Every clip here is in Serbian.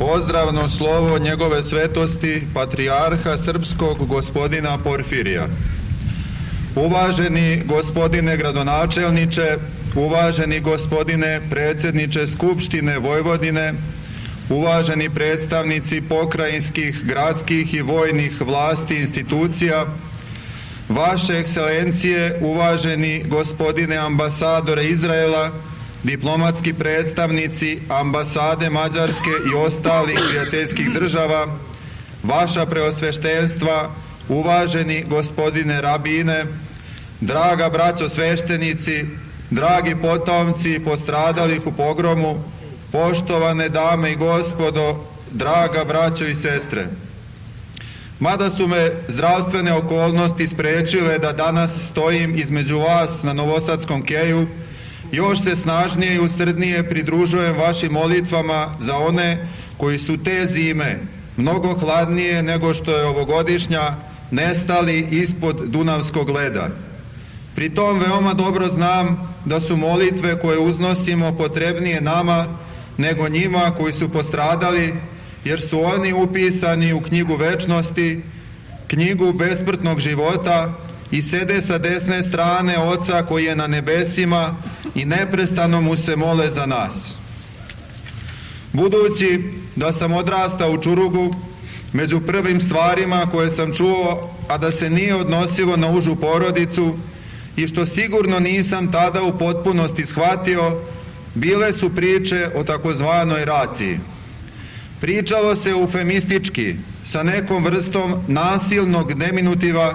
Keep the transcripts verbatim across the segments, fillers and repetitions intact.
Pozdravno slovo njegove svetosti, patrijarha srpskog gospodina Porfirija. Uvaženi gospodine gradonačelniče, uvaženi gospodine predsjedniče Skupštine Vojvodine, uvaženi predstavnici pokrajinskih, gradskih i vojnih vlasti institucija, vaše ekscelencije, uvaženi gospodine ambasadore Izraela, diplomatski predstavnici ambasade Mađarske i ostalih prijateljskih država, vaša preosveštenstva, uvaženi gospodine rabine, draga braćo sveštenici, dragi potomci postradalih u pogromu, poštovane dame i gospodo, draga braćo i sestre. Mada su me zdravstvene okolnosti sprečile da danas stojim između vas na Novosadskom keju, još se snažnije i usrdnije pridružujem vašim molitvama za one koji su te zime, mnogo hladnije nego što je ovogodišnja, nestali ispod Dunavskog leda. Pri tom veoma dobro znam da su molitve koje uznosimo potrebnije nama nego njima koji su postradali, jer su oni upisani u knjigu večnosti, knjigu besmrtnog života i sede sa desne strane Oca koji je na nebesima i neprestano mu se mole za nas. Budući da sam odrastao u Čurugu, među prvim stvarima koje sam čuo, a da se nije odnosilo na užu porodicu i što sigurno nisam tada u potpunosti shvatio, bile su priče o takozvanoj raciji. Pričalo se eufemistički, sa nekom vrstom nasilnog deminutiva,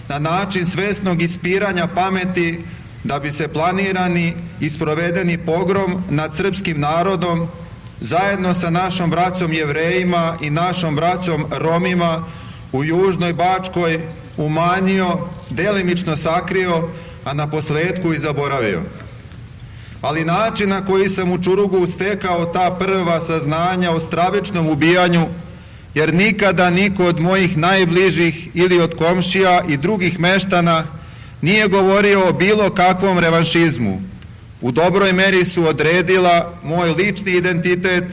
na način svesnog ispiranja pameti da bi se planirani i sprovedeni pogrom nad srpskim narodom zajedno sa našom braćom Jevrejima i našom braćom Romima u Južnoj Bačkoj umanjio, delimično sakrio, a na posledku i zaboravio. Ali način na koji sam u Čurugu stekao ta prva saznanja o stravičnom ubijanju, jer nikada niko od mojih najbližih ili od komšija i drugih meštana nije govorio o bilo kakvom revanšizmu. U dobroj meri su odredila moj lični identitet,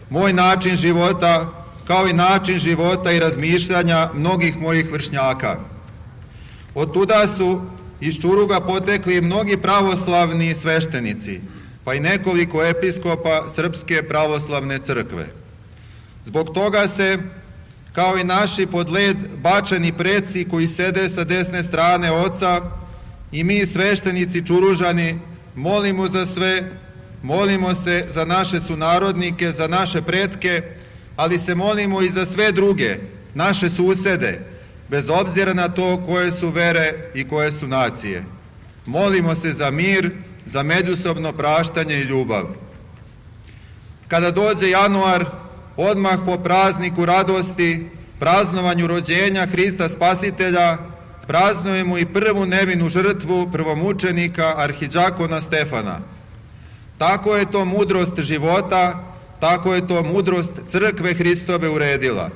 moj način života, kao i način života i razmišljanja mnogih mojih vršnjaka. Od tuda su iz Čuruga potekli mnogi pravoslavni sveštenici, pa i nekoliko episkopa Srpske pravoslavne crkve. Zbog toga se, kao i naši pod led bačeni preci koji sede sa desne strane Oca, i mi sveštenici Čuružani molimo za sve, molimo se za naše sunarodnike, za naše pretke, ali se molimo i za sve druge, naše susede, bez obzira na to koje su vere i koje su nacije. Molimo se za mir, za međusobno praštanje i ljubav. Kada dođe januar, odmah po prazniku radosti, praznovanju rođenja Hrista Spasitelja, praznujemo i prvu nevinu žrtvu prvomučenika arhidžakona Stefana. Tako je to mudrost života, tako je to mudrost crkve Hristove uredila.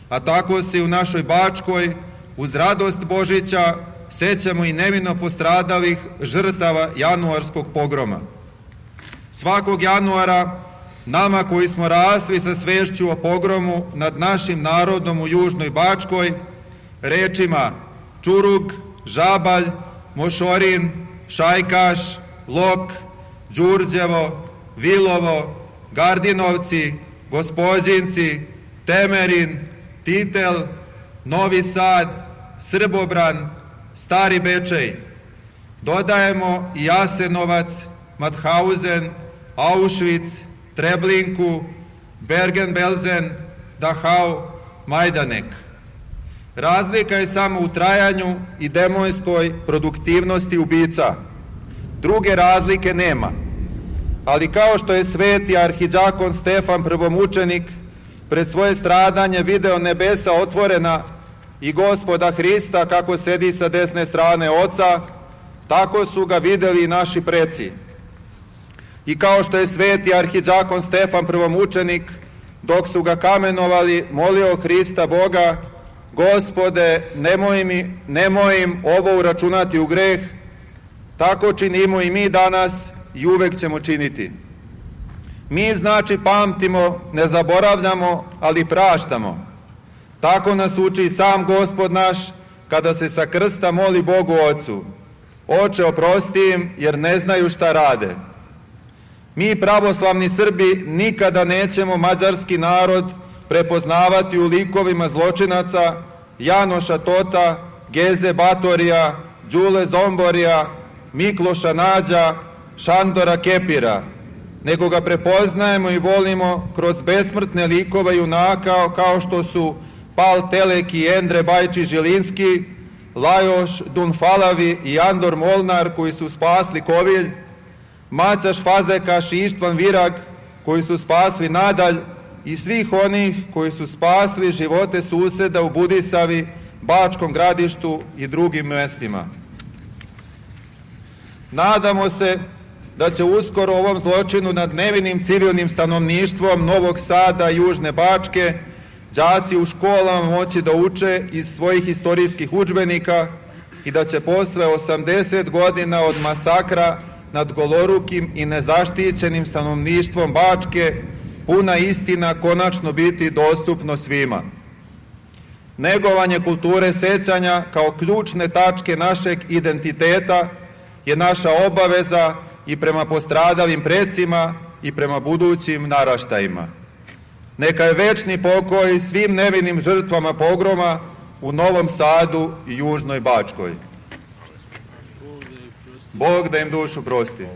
A tako se u našoj Bačkoj, uz radost Božića, sećamo i nevino postradalih žrtava januarskog pogroma. Svakog januara, nama koji smo rasli sa svešću o pogromu nad našim narodom u Južnoj Bačkoj, rečima Čurug, Žabalj, Mošorin, Šajkaš, Lok, Đurđevo, Vilovo, Gardinovci, Gospođinci, Temerin, Titel, Novi Sad, Srbobran, Stari Bečej. Dodajemo i Jasenovac, Mauthausen, Auschwitz, Treblinku, Bergen-Belsen, Dachau, Majdanek. Razlika je samo u trajanju i demonskoj produktivnosti ubica. Druge razlike nema. Ali kao što je sveti arhidžakon Stefan prvomučenik pred svoje stradanje video nebesa otvorena i Gospoda Hrista kako sedi sa desne strane Oca, tako su ga videli i naši preci. I kao što je sveti arhidžakon Stefan prvomučenik, dok su ga kamenovali, molio Hrista Boga, Gospode, nemoj, mi, nemoj im ovo uračunati u greh, tako činimo i mi danas i uvek ćemo činiti. Mi znači pamtimo, ne zaboravljamo, ali praštamo. Tako nas uči sam Gospod naš, kada se sa krsta moli Bogu Ocu: Oče, oprosti im, jer ne znaju šta rade. Mi, pravoslavni Srbi, nikada nećemo mađarski narod prepoznavati u likovima zločinaca Janoša Tota, Geze Batorija, Đule Zomborija, Mikloša Nađa, Šandora Kepira, nego ga prepoznajemo i volimo kroz besmrtne likove junaka kao što su Pal Teleki i Endre Bajči Žilinski, Lajoš Dunfalavi i Andor Molnar, koji su spasli Kovilj, Maćaš Fazekaš i Ištvan Virag, koji su spasli Nadalj, i svih onih koji su spasli živote suseda u Budisavi, Bačkom Gradištu i drugim mestima. Nadamo se da će uskoro ovom zločinu nad nevinim civilnim stanovništvom Novog Sada i Južne Bačke đaci u školama moći da uče iz svojih istorijskih udžbenika i da će posle osamdeset godina od masakra nad golorukim i nezaštićenim stanovništvom Bačke puna istina konačno biti dostupno svima. Negovanje kulture sećanja kao ključne tačke našeg identiteta je naša obaveza i prema postradalim precima i prema budućim naraštajima. Neka je večni pokoj svim nevinim žrtvama pogroma u Novom Sadu i Južnoj Bačkoj. Bog da im dušu prosti.